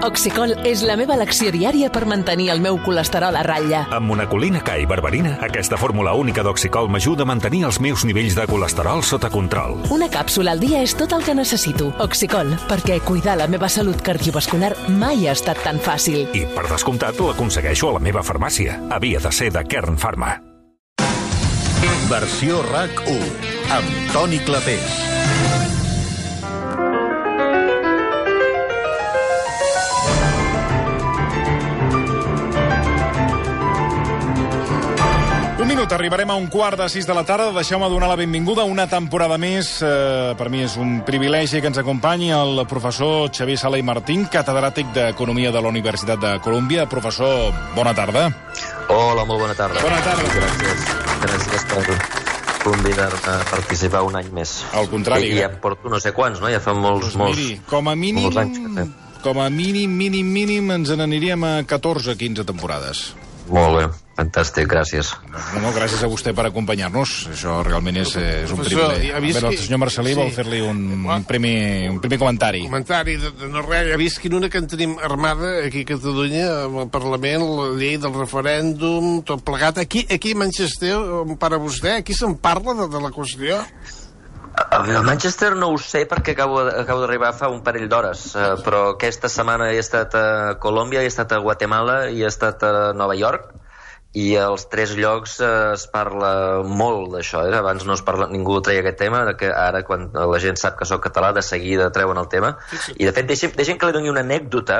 Oxicol és la meva elecció diària per mantenir el meu colesterol a ratlla. Amb monacolina K i berberina, aquesta fórmula única d'Oxicol m'ajuda a mantenir els meus nivells de colesterol sota control. Una càpsula al dia és tot el que necessito. Oxicol, perquè cuidar la meva salut cardiovascular mai ha estat tan fàcil. I, per descomptat, l'aconsegueixo a la meva farmàcia. Havia de ser de Kern Pharma. Versió RAC1, amb Toni Clapés. Un minut, arribarem a 5:45 de la tarda. Deixeu-me donar la benvinguda una temporada més. Per mi és un privilegi que ens acompanyi el professor Xavier Sala i Martín, catedràtic d'Economia de la Universitat de Colúmbia. Professor, bona tarda. Hola, molt bona tarda. Bona tarda. Gràcies per convidar-me a participar un any més. Al contrari. I ja en porto no sé quants, no? Ja fa molts Miri, com a mínim, molts anys que fem. Com a mínim, ens n'aniríem a 14-15 temporades. Molt bé, fantàstic, gràcies. No, gràcies a vostè per acompanyar-nos. Això realment és un privilegi. A veure, el senyor Marcelí vol fer-li un primer comentari. Comentari de no res. Ja vist quina que en tenim armada aquí a Catalunya, amb el Parlament, la llei del referèndum, tot plegat. Aquí a Manchester, on para vostè, aquí se'n parla de la qüestió? A Manchester no ho sé perquè acabo d'arribar fa un parell d'hores, però aquesta setmana he estat a Colòmbia, he estat a Guatemala i he estat a Nova York, i als 3 llocs es parla molt d'això. Abans no es parla, ningú treia aquest tema, que ara quan la gent sap que soc català de seguida treuen el tema. I de fet deixem que li doni una anècdota.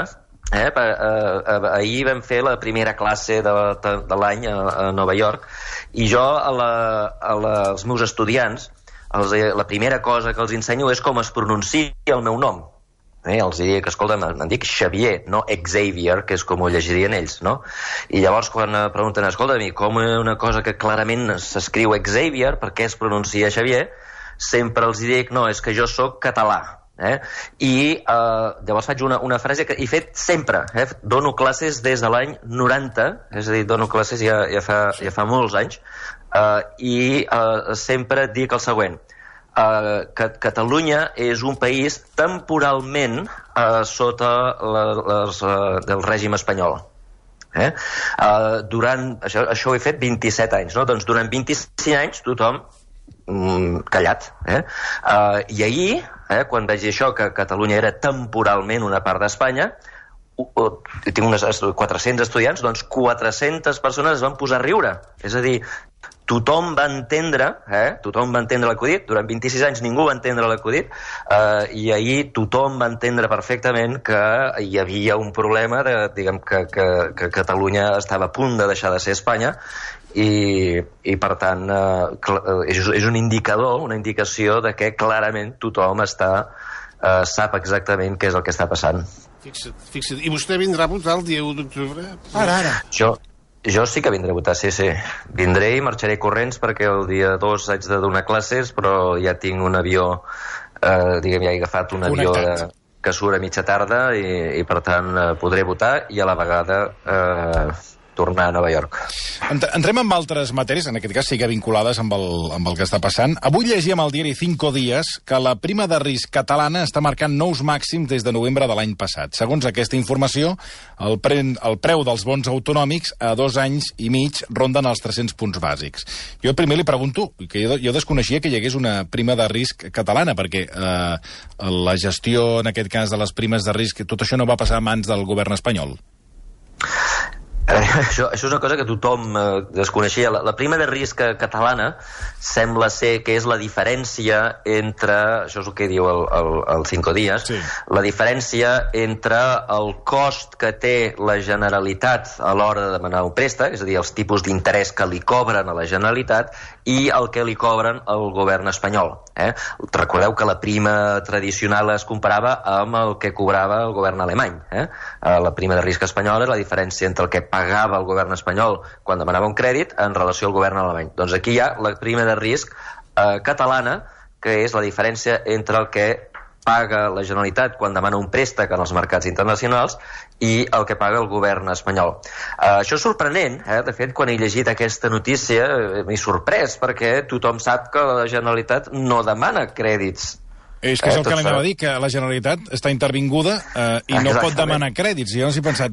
Ahir vam fer la primera classe de l'any a Nova York, i jo als meus estudiants la primera cosa que els ensenyo és com es pronuncia el meu nom. Els diria que, escolta, em dic Xavier, no Xavier, que és com ho llegirien ells, no? I llavors quan pregunten, escolta, com una cosa que clarament s'escriu Xavier, per què es pronuncia Xavier? Sempre els dic, no, és que jo sóc català. I llavors faig una frase que he fet sempre. Dono classes des de l'any 90, és a dir, dono classes ja fa molts anys, i sempre dic el següent: que Catalunya és un país temporalment sota del règim espanyol. Això ho he fet 27 anys, no? Doncs durant 25 anys tothom callat. I ahir, quan vaig dir això, que Catalunya era temporalment una part d'Espanya, tinc unes 400 estudiants, doncs 400 persones es van posar a riure. És a dir, tothom va entendre l'acudit. Durant 26 anys ningú va entendre l'acudit, i ahir tothom va entendre perfectament que hi havia un problema, diguem que Catalunya estava a punt de deixar de ser Espanya, i per tant és un indicador, una indicació de que clarament tothom sap exactament què és el que està passant. Fixa't. I vostè vindrà a votar el dia 1 d'octubre? Ara. Jo sí que vindré a votar, sí. Vindré i marxaré corrents perquè el dia 2 haig de donar classes, però ja tinc un avió, ja he agafat un avió que surt a mitja tarda, i per tant podré votar i a la vegada tornar a Nova York. Entrem amb altres matèries, en aquest cas sí que vinculades amb el que està passant. Avui llegíem al diari 5 Días que la prima de risc catalana està marcant nous màxims des de novembre de l'any passat. Segons aquesta informació, el preu dels bons autonòmics a 2 anys i mig ronden els 300 punts bàsics. Jo primer li pregunto, que jo desconeixia que hi hagués una prima de risc catalana, perquè la gestió, en aquest cas, de les primes de risc, tot això no va passar a mans del govern espanyol. Això és una cosa que tothom desconeixia. La prima de risc catalana sembla ser que és la diferència entre, això és el que diu el 5 Días, sí, la diferència entre el cost que té la Generalitat a l'hora de demanar un préstec, és a dir, els tipus d'interès que li cobren a la Generalitat, i el que li cobren al govern espanyol. Recordeu que la prima tradicional es comparava amb el que cobrava el govern alemany. La prima de risc espanyola és la diferència entre el que pagava el govern espanyol quan demanava un crèdit en relació al govern alemany. Doncs aquí hi ha la prima de risc catalana, que és la diferència entre el que paga la Generalitat quan demana un préstec en els mercats internacionals i el que paga el govern espanyol. Això és sorprenent, de fet, quan he llegit aquesta notícia m'he sorprès, perquè tothom sap que la Generalitat no demana crèdits És que és el que l'anava a dir, que la Generalitat està intervinguda i no pot demanar crèdits. I llavors he pensat,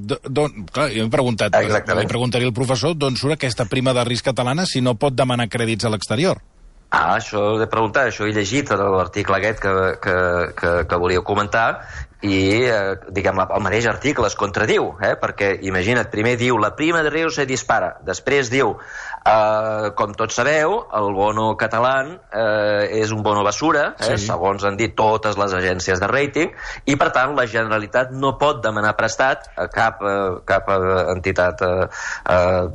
clar, jo m'he preguntat, li preguntaria al professor d'on surt aquesta prima de risc catalana si no pot demanar crèdits a l'exterior. Això he de preguntar, això he llegit l'article aquest que volíeu comentar i, diguem, el mateix article es contradiu, perquè, imagina't, primer diu la prima de risc se dispara, després diu, com tots sabeu, el bono català és un bono basura, segons han dit totes les agències de rating, i per tant la Generalitat no pot demanar prestat a cap entitat,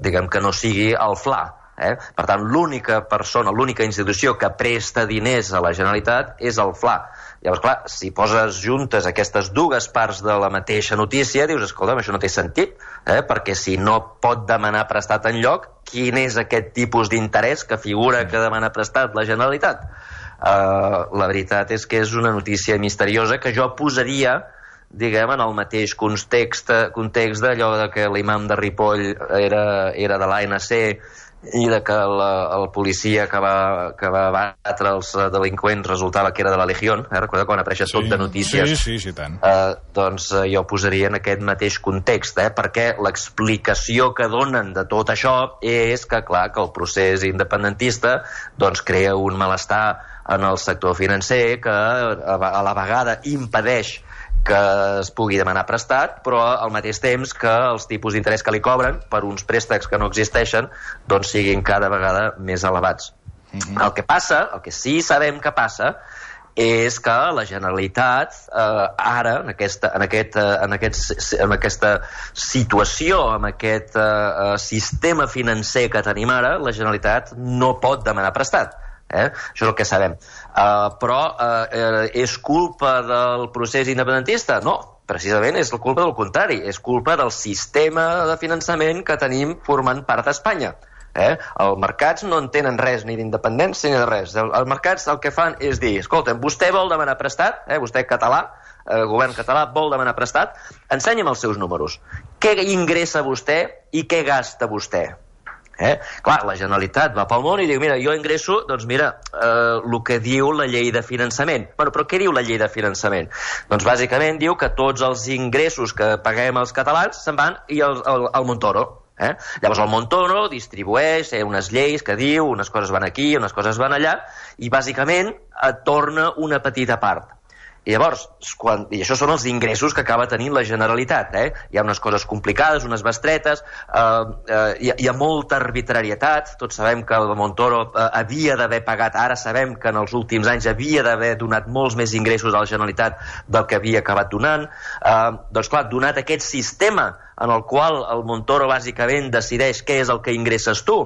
diguem, que no sigui el FLA. Per tant, l'única persona, l'única institució que presta diners a la Generalitat és el FLA. Llavors, clar, si poses juntes aquestes dues parts de la mateixa notícia, dius, escolta'm, això no té sentit, perquè si no pot demanar prestat enlloc, quin és aquest tipus d'interès que figura que demana prestat la Generalitat? La veritat és que és una notícia misteriosa que jo posaria, diguem, en el mateix context d'allò que l'imam de Ripoll era de l'ANC i de que el policia que va batre els delinqüents resultava que era de la Legión, recorda quan apareix tot de notícies? Sí, tant. Doncs jo posaria en aquest mateix context, perquè l'explicació que donen de tot això és que, clar, que el procés independentista doncs crea un malestar en el sector financer que a la vegada impedeix que es pugui demanar prestat, però al mateix temps que els tipus d'interès que li cobren per uns préstecs que no existeixen doncs siguin cada vegada més elevats. El que passa, el que sí sabem que passa, és que la Generalitat ara, en aquesta situació, en aquest sistema financer que tenim ara, la Generalitat no pot demanar prestat. Això és el que sabem. Però és culpa del procés independentista? No, precisament és la culpa del contrari, és culpa del sistema de finançament que tenim formant part d'Espanya. Els mercats no en tenen res ni d'independència ni de res. Els mercats el que fan és dir, escolta, vostè vol demanar prestat, vostè català, el govern català vol demanar prestat, ensenya'm els seus números. Què ingressa vostè i què gasta vostè? Clar, la Generalitat va pel món i diu, mira, jo ingresso, doncs mira, el que diu la llei de finançament. Bueno, però què diu la llei de finançament? Doncs bàsicament diu que tots els ingressos que paguem els catalans se'n van i al Montoro. Llavors el Montoro distribueix unes lleis que diu, unes coses van aquí, unes coses van allà, i bàsicament et torna una petita part. I llavors, i això són els ingressos que acaba tenint la Generalitat. Hi ha unes coses complicades, unes bestretes, hi ha molta arbitrarietat. Tots sabem que el Montoro havia d'haver pagat, ara sabem que en els últims anys havia d'haver donat molts més ingressos a la Generalitat del que havia acabat donant. Doncs clar, donat aquest sistema en el qual el Montoro bàsicament decideix què és el que ingresses tu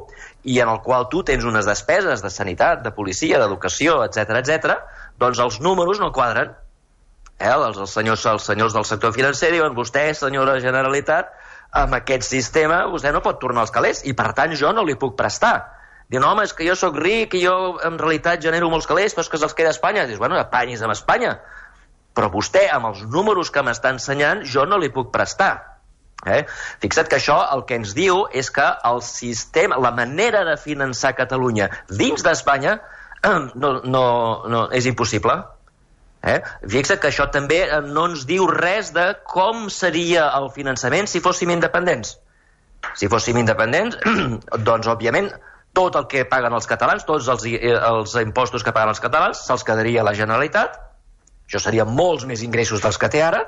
i en el qual tu tens unes despeses de sanitat, de policia, d'educació, etc., doncs els números no quadren. Els senyors del sector financer diuen, vostè, senyora Generalitat, amb aquest sistema vostè no pot tornar els calés i per tant jo no li puc prestar. Diuen, home, és que jo sóc ric i jo en realitat genero molts calés, però és que se'ls queda a Espanya. Dius, bueno, apanyis amb Espanya. Però vostè, amb els números que m'està ensenyant, jo no li puc prestar. Fixa't que això el que ens diu és que el sistema, la manera de finançar Catalunya dins d'Espanya no és impossible. Fixa't que això també no ens diu res de com seria el finançament si fóssim independents. Si fóssim independents, doncs, òbviament, tot el que paguen els catalans, tots els impostos que paguen els catalans, se'ls quedaria a la Generalitat. Això serien molts més ingressos dels que té ara.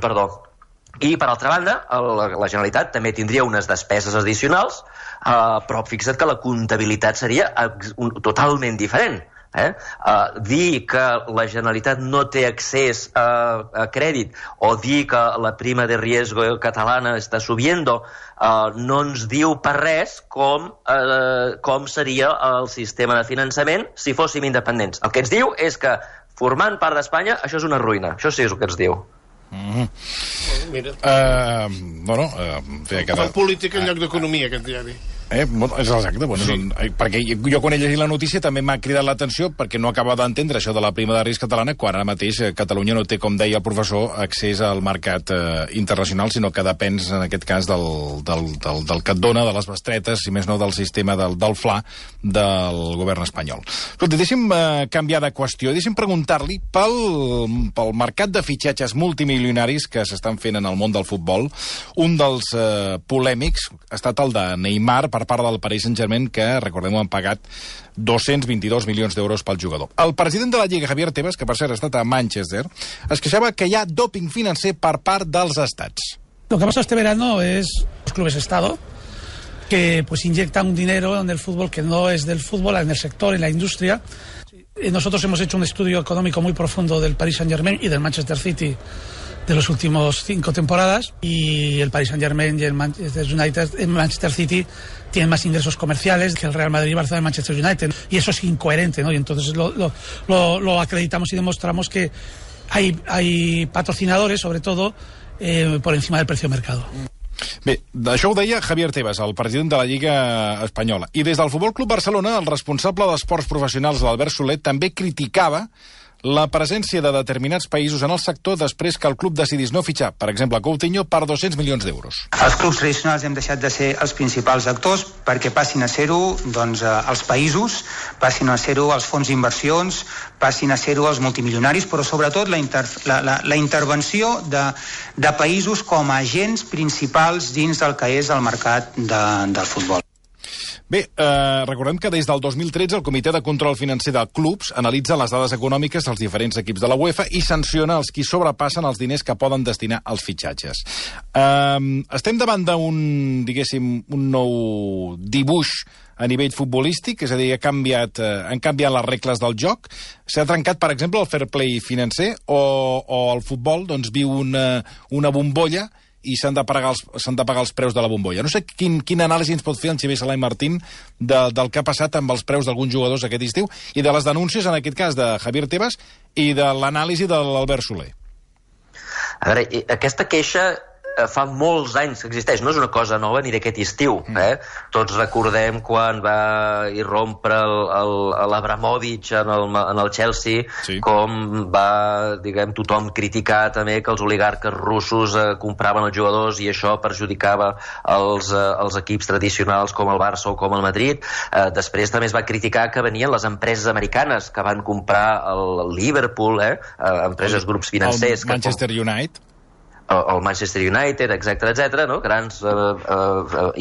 Perdó. I, per altra banda, la Generalitat també tindria unes despeses addicionals, però fixa't que la comptabilitat seria totalment diferent. Dir que la Generalitat no té accés a crèdit o dir que la prima de riesgo catalana està subiendo no ens diu per res com seria el sistema de finançament si fóssim independents. El que ens diu és que formant part d'Espanya això és una ruïna. Això sí és el que ens diu. Mira. Bueno, Fa política en lloc d'economia, aquest diari. És exacte, perquè jo quan he llegit la notícia també m'ha cridat l'atenció perquè no acaba d'entendre això de la prima de risc catalana quan ara mateix Catalunya no té, com deia el professor, accés al mercat internacional, sinó que depèn, en aquest cas, del que et dona, de les bestretes, si més no del sistema del FLA del govern espanyol. Escolta, deixi'm canviar de qüestió, deixi'm preguntar-li pel mercat de fitxatges multimilionaris que s'estan fent en el món del futbol. Un dels polèmics ha estat el de Neymar per part del Paris Saint-Germain, que, recordem-ho, han pagat 222 milions d'euros pel jugador. El president de la Lliga, Javier Tebas, que per cert ha estat a Manchester, es queixava que hi ha doping financer per part dels estats. Lo que ha pasado este verano es los clubes Estado que pues inyectan un dinero en el fútbol que no es del fútbol, en el sector, en la industria. Nosotros hemos hecho un estudio económico muy profundo del Paris Saint-Germain y del Manchester City de los últimos 5 temporadas, y el Paris Saint-Germain y el Manchester City tienen más ingresos comerciales que el Real Madrid, Barcelona y Manchester United, y eso es incoherente, ¿no? Y entonces lo acreditamos y demostramos que hay patrocinadores, sobre todo, por encima del precio de mercado. Bé, això ho deia Javier Tebas, el president de la Lliga Espanyola. I des del Futbol Club Barcelona, el responsable d'esports professionals, l'Albert Soler, també criticava la presència de determinats països en el sector després que el club decidís no fitxar, per exemple, Coutinho, per 200 milions d'euros. Els clubs tradicionals hem deixat de ser els principals actors perquè passin a ser-ho els països, passin a ser-ho els fons d'inversions, passin a ser-ho els multimilionaris, però sobretot la intervenció de països com a agents principals dins del que és el mercat del futbol. Bé, recordem que des del 2013 el Comitè de Control Financer de Clubs analitza les dades econòmiques dels diferents equips de la UEFA i sanciona els qui sobrepassen els diners que poden destinar als fitxatges. Estem davant d'un, diguéssim, un nou dibuix a nivell futbolístic, és a dir, han canviat les regles del joc, s'ha trencat, per exemple, el fair play financer, o el futbol viu una bombolla i s'han de pagar els preus de la bombolla. No sé quin anàlisi ens pot fer el Xavier Salai Martín del que ha passat amb els preus d'alguns jugadors aquest estiu i de les denúncies, en aquest cas, de Javier Tebas i de l'anàlisi de l'Albert Soler. A veure, aquesta queixa fa molts anys que existeix, no és una cosa nova ni d'aquest estiu. Tots recordem quan va irrompre l'Abramovich en el Chelsea, com va, tothom criticar també que els oligarques russos compraven els jugadors i això perjudicava els equips tradicionals com el Barça o com el Madrid. Després també es va criticar que venien les empreses americanes que van comprar el Liverpool, empreses, grups financers... El Manchester United... el Manchester United, etc., no? Grans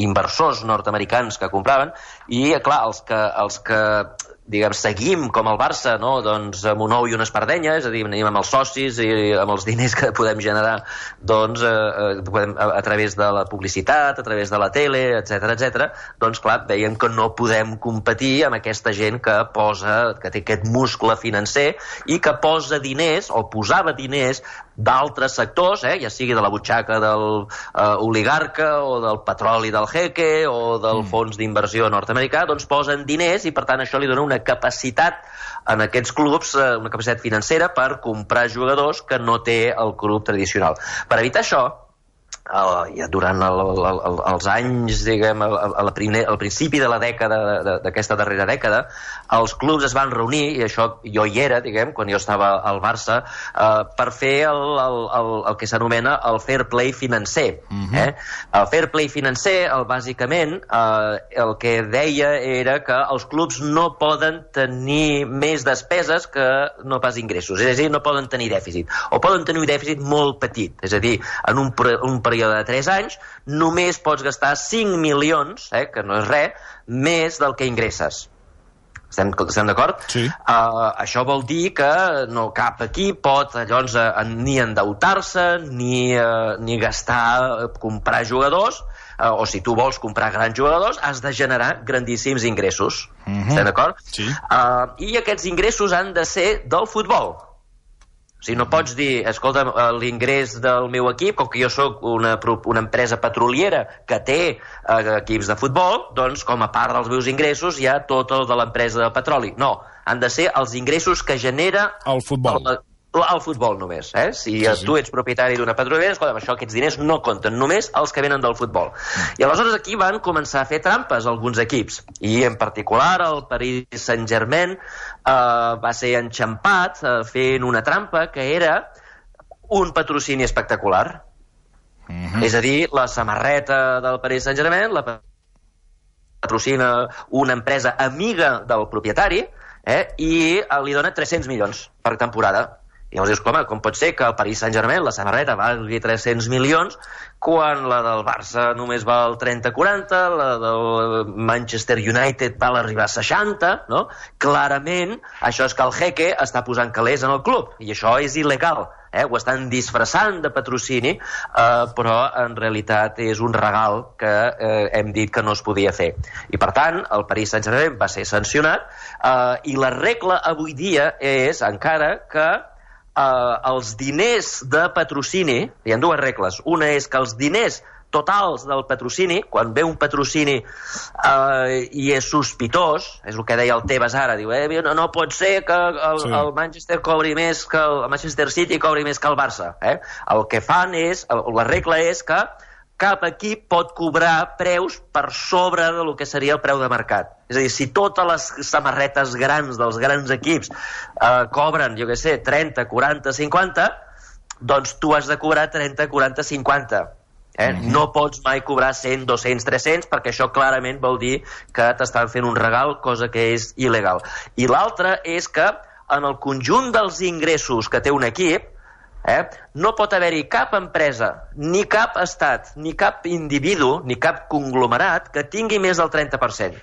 inversors nord-americans que compraven, i clar, els que seguim com el Barça, no? Amb un ou i una espardenya, és a dir, anem amb els socis i amb els diners que podem generar a través de la publicitat, a través de la tele, etc., clar, veiem que no podem competir amb aquesta gent que té aquest muscle financer i que posa diners, o posava diners, d'altres sectors, ja sigui de la butxaca del oligarca o del petroli del jeque o del fons d'inversió nord-americà, posen diners i per tant això li dona una capacitat en aquests clubs, una capacitat financera per comprar jugadors que no té el club tradicional. Per evitar això, durant els anys, al principi de la dècada, d'aquesta darrera dècada, els clubs es van reunir, i això jo hi era, quan jo estava al Barça, per fer el que s'anomena el fair play financer. El fair play financer, bàsicament, el que deia era que els clubs no poden tenir més despeses que no pas ingressos, és a dir, no poden tenir dèficit, o poden tenir un dèficit molt petit, és a dir, en un període de 3 anys, només pots gastar 5 milions, que no és res, més del que ingresses. Estem d'acord? Sí. Això vol dir que cap equip pot llavors ni endeutar-se, ni gastar, comprar jugadors, o si tu vols comprar grans jugadors, has de generar grandíssims ingressos. Estem d'acord? Sí. I aquests ingressos han de ser del futbol. O sigui, no pots dir, escolta, l'ingrés del meu equip, com que jo sóc una empresa petroliera que té equips de futbol, doncs com a part dels meus ingressos hi ha tot el de l'empresa de petroli. No, han de ser els ingressos que genera el futbol. al futbol només. Si tu ets propietari d'una petrolera, escolta, aquests diners no compten, només els que venen del futbol. I aleshores aquí van començar a fer trampes alguns equips, i en particular el Paris Saint-Germain va ser enxampat fent una trampa que era un patrocini espectacular. És a dir, la samarreta del Paris Saint-Germain la patrocina una empresa amiga del propietari i li dona 300 milions per temporada. I llavors dius, com pot ser que el Paris Saint-Germain, la samarreta, valgui 300 milions quan la del Barça només val 30-40, la del Manchester United val arribar a 60, no? Clarament, això és que el jeque està posant calés en el club, i això és il·legal. Ho estan disfressant de patrocini, però en realitat és un regal que hem dit que no es podia fer. I per tant, el Paris Saint-Germain va ser sancionat, i la regla avui dia és encara que els diners de patrocini, hi ha dues regles. Una és que els diners totals del patrocini, quan ve un patrocini i és sospitós, és el que deia el Tebas ara, diu, no pot ser que el Manchester cobri més que el Manchester City cobri més que el Barça. El que fan és, la regla és que cap equip pot cobrar preus per sobre del que seria el preu de mercat. És a dir, si totes les samarretes grans dels grans equips cobren, jo què sé, 30, 40, 50, doncs tu has de cobrar 30, 40, 50. No pots mai cobrar 100, 200, 300, perquè això clarament vol dir que t'estan fent un regal, cosa que és il·legal. I l'altra és que en el conjunt dels ingressos que té un equip, no pot haver-hi cap empresa, ni cap estat, ni cap individu, ni cap conglomerat que tingui més del 30%.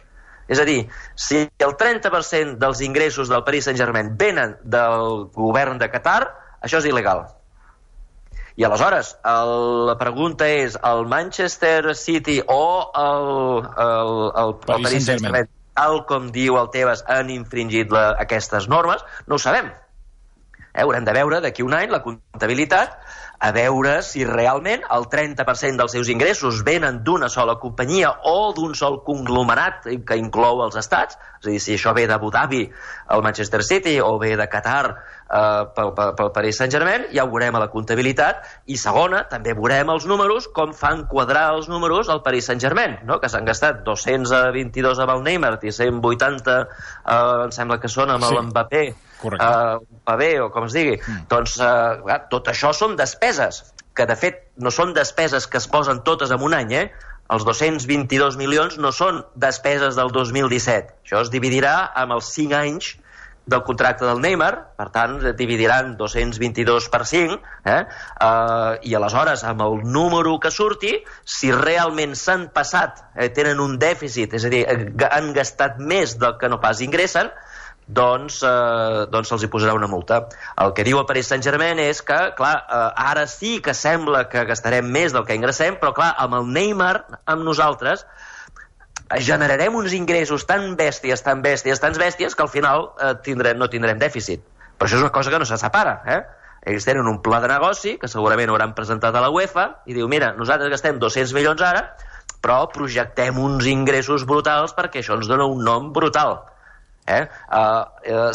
És a dir, si el 30% dels ingressos del Paris Saint-Germain venen del govern de Qatar, això és il·legal. I aleshores, la pregunta és, el Manchester City o el Paris Saint-Germain, tal com diu el Tebas, han infringit aquestes normes? No ho sabem. Haurem de veure d'aquí un any la comptabilitat, a veure si realment el 30% dels seus ingressos venen d'una sola companyia o d'un sol conglomerat que inclou els estats, és a dir, si això ve d'Abu Dhabi, el Manchester City, o ve de Qatar pel Paris Saint-Germain, ja ho veurem a la comptabilitat, i segona, també veurem els números, com fan quadrar els números al Paris Saint-Germain, no? Que s'han gastat 222 amb el Neymar i 180, em sembla que són amb el Mbappé, Mbappé o com es digui. Doncs tot això són despeses, que de fet no són despeses que es posen totes en un any, Els 222 milions no són despeses del 2017. Això es dividirà amb els 5 anys del contracte del Neymar, per tant, dividiran 222 per 5, i aleshores, amb el número que surti, si realment s'han passat, tenen un dèficit, és a dir, han gastat més del que no pas ingressen, doncs se'ls hi posarà una multa. El que diu el Paris Saint-Germain és que, clar, ara sí que sembla que gastarem més del que ingressem, però, clar, amb el Neymar, amb nosaltres, generarem uns ingressos tan bèsties, que al final no tindrem dèficit. Però això és una cosa que no se separa, Ells tenen un pla de negoci, que segurament hauran presentat a la UEFA, i diu, mira, nosaltres gastem 200 milions ara, però projectem uns ingressos brutals perquè això ens dona un nom brutal.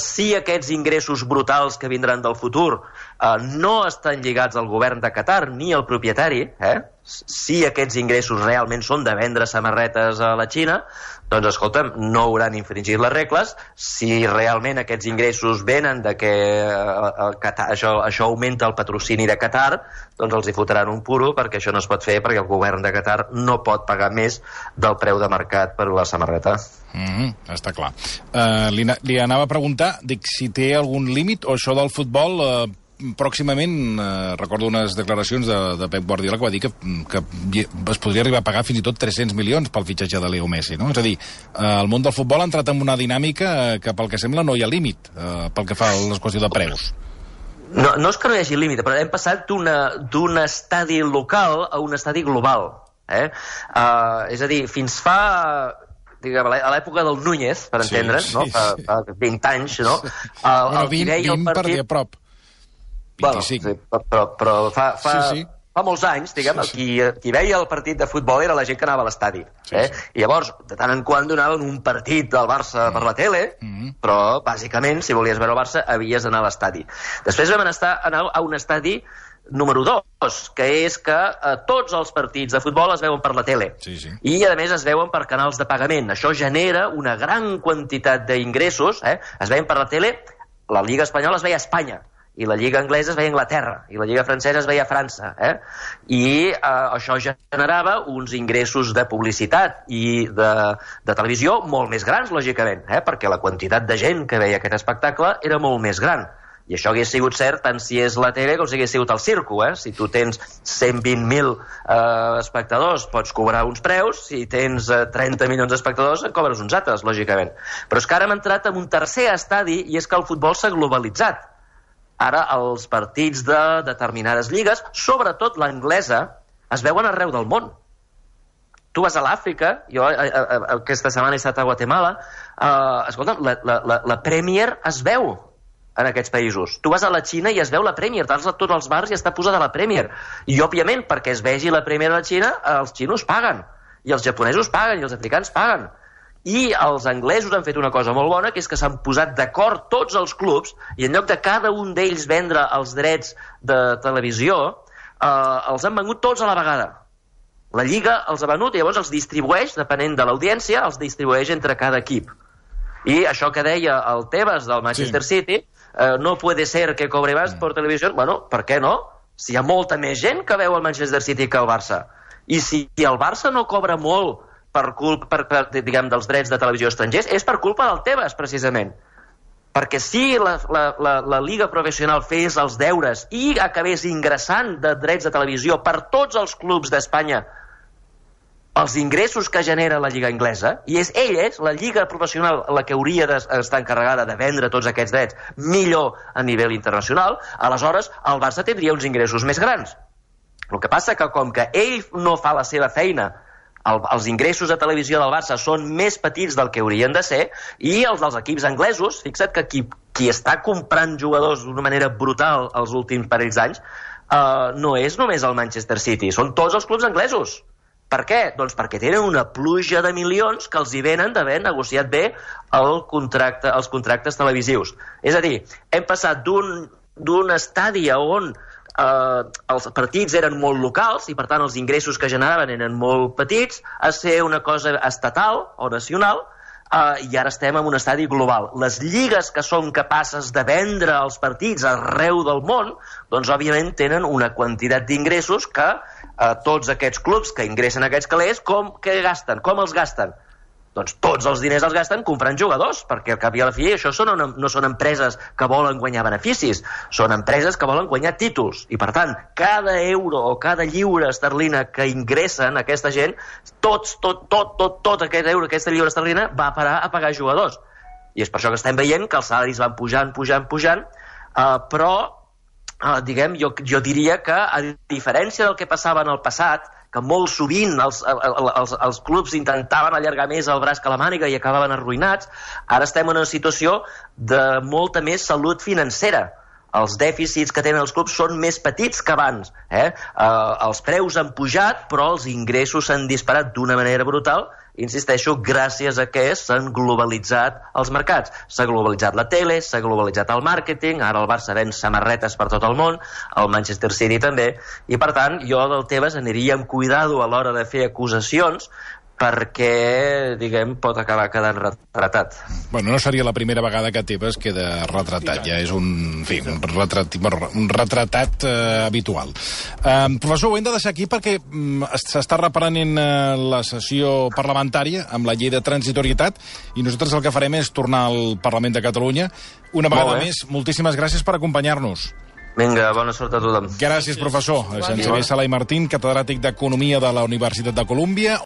Si aquests ingressos brutals que vindran del futur no estan lligats al govern de Qatar ni al propietari, si aquests ingressos realment són de vendre samarretes a la Xina, doncs, escolta'm, no hauran infringit les regles. Si realment aquests ingressos venen de que això augmenta el patrocini de Qatar, doncs els hi fotran un puro, perquè això no es pot fer, perquè el govern de Qatar no pot pagar més del preu de mercat per la samarreta. Està clar. Li anava a preguntar si té algun límit, o això del futbol pròximament, recordo unes declaracions de Pep Guardiola que va dir que es podria arribar a pagar fins i tot 300 milions pel fitxatge de Leo Messi, no? És a dir, el món del futbol ha entrat en una dinàmica que pel que sembla no hi ha límit pel que fa a la qüestió de preus. No és que no hi hagi límit, però hem passat d'un estadi local a un estadi global. És a dir, fins fa... a l'època del Núñez, per entendre's, fa 20 anys, no? 20 per dir a prop. 25. Però fa fa molts anys, diguem, qui veia el partit de futbol era la gent que anava a l'estadi. I llavors, de tant en quant donaven un partit del Barça per la tele, però, bàsicament, si volies veure el Barça, havies d'anar a l'estadi. Després vam anar a un estadi número 2, que és que tots els partits de futbol es veuen per la tele. I, a més, es veuen per canals de pagament. Això genera una gran quantitat d'ingressos. Es veien per la tele, la Lliga Espanyola es veia a Espanya, i la Lliga Anglesa es veia a Anglaterra, i la Lliga Francesa es veia a França. I això generava uns ingressos de publicitat i de televisió molt més grans, lògicament, perquè la quantitat de gent que veia aquest espectacle era molt més gran. I això hagués sigut cert tant si és la tele com si hagués sigut el circo. Si tu tens 120.000 espectadors pots cobrar uns preus, si tens 30 milions d'espectadors en cobres uns altres, lògicament. Però és que ara hem entrat en un tercer estadi, i és que el futbol s'ha globalitzat. Ara els partits de determinades lligues, sobretot l'anglesa, es veuen arreu del món. Tu vas a l'Àfrica, jo aquesta setmana he estat a Guatemala, escolta'm, la Premier es veu en aquests països. Tu vas a la Xina i es veu la Premier, tots els bars ja està posada la Premier. I, òbviament, perquè es vegi la Premier a la Xina, els xinos paguen, i els japonesos paguen, i els africans paguen. I els anglesos han fet una cosa molt bona, que és que s'han posat d'acord tots els clubs, i en lloc de cada un d'ells vendre els drets de televisió, els han venut tots a la vegada. La Lliga els ha venut i llavors els distribueix, depenent de l'audiència, els distribueix entre cada equip. I això que deia el Tebas del Manchester City, no puede ser que cobre más por televisió, bueno, per què no? Si hi ha molta més gent que veu el Manchester City que el Barça. I si el Barça no cobra molt per culpa, diguem, dels drets de televisió estrangers, és per culpa del Tebas, precisament. Perquè si la Lliga Professional fes els deures i acabés ingressant de drets de televisió per tots els clubs d'Espanya els ingressos que genera la Lliga Anglesa, i és la Lliga Professional, la que hauria d'estar encarregada de vendre tots aquests drets millor a nivell internacional, aleshores el Barça tindria uns ingressos més grans. El que passa que com que ell no fa la seva feina, els ingressos de televisió del Barça són més petits del que haurien de ser, i els dels equips anglesos, fixa't que qui està comprant jugadors d'una manera brutal els últims parells d'anys no és només el Manchester City, són tots els clubs anglesos. Per què? Doncs perquè tenen una pluja de milions que els hi venen d'haver negociat bé els contractes televisius. És a dir, hem passat d'un estadi on els partits eren molt locals i per tant els ingressos que generaven eren molt petits a ser una cosa estatal o nacional, i ara estem en un estadi global. Les lligues que són capaces de vendre els partits arreu del món, doncs òbviament tenen una quantitat d'ingressos que tots aquests clubs que ingressen aquests calés, com els gasten? Doncs tots els diners els gasten comprant jugadors, perquè al cap i a la fi això no són empreses que volen guanyar beneficis, són empreses que volen guanyar títols, i per tant, cada euro o cada lliure esterlina que ingressen aquesta gent, tot aquest euro, aquesta lliure esterlina va parar a pagar jugadors. I és per això que estem veient que els salaris van pujant, però, diguem, jo diria que, a diferència del que passava en el passat, que molt sovint els clubs intentaven allargar més el braç que la màniga i acabaven arruïnats, ara estem en una situació de molta més salut financera. Els dèficits que tenen els clubs són més petits que abans. Els preus han pujat, però els ingressos s'han disparat d'una manera brutal, insisteixo, gràcies a que s'han globalitzat els mercats. S'ha globalitzat la tele, s'ha globalitzat el màrqueting, ara el Barça ven samarretes per tot el món, el Manchester City també, i per tant jo del Tebas aniria amb cuidado a l'hora de fer acusacions, perquè, diguem, pot acabar quedant retratat. Bueno, no seria la primera vegada que Tebas queda retratat, ja és un retratat habitual. Professor, ho hem de deixar aquí perquè s'està reprenent la sessió parlamentària amb la llei de transitorietat i nosaltres el que farem és tornar al Parlament de Catalunya. Una vegada més, moltíssimes gràcies per acompanyar-nos. Vinga, bona sort a tothom. Gràcies, professor. Xavier Sala i Martín, catedràtic d'Economia de la Universitat de Colúmbia.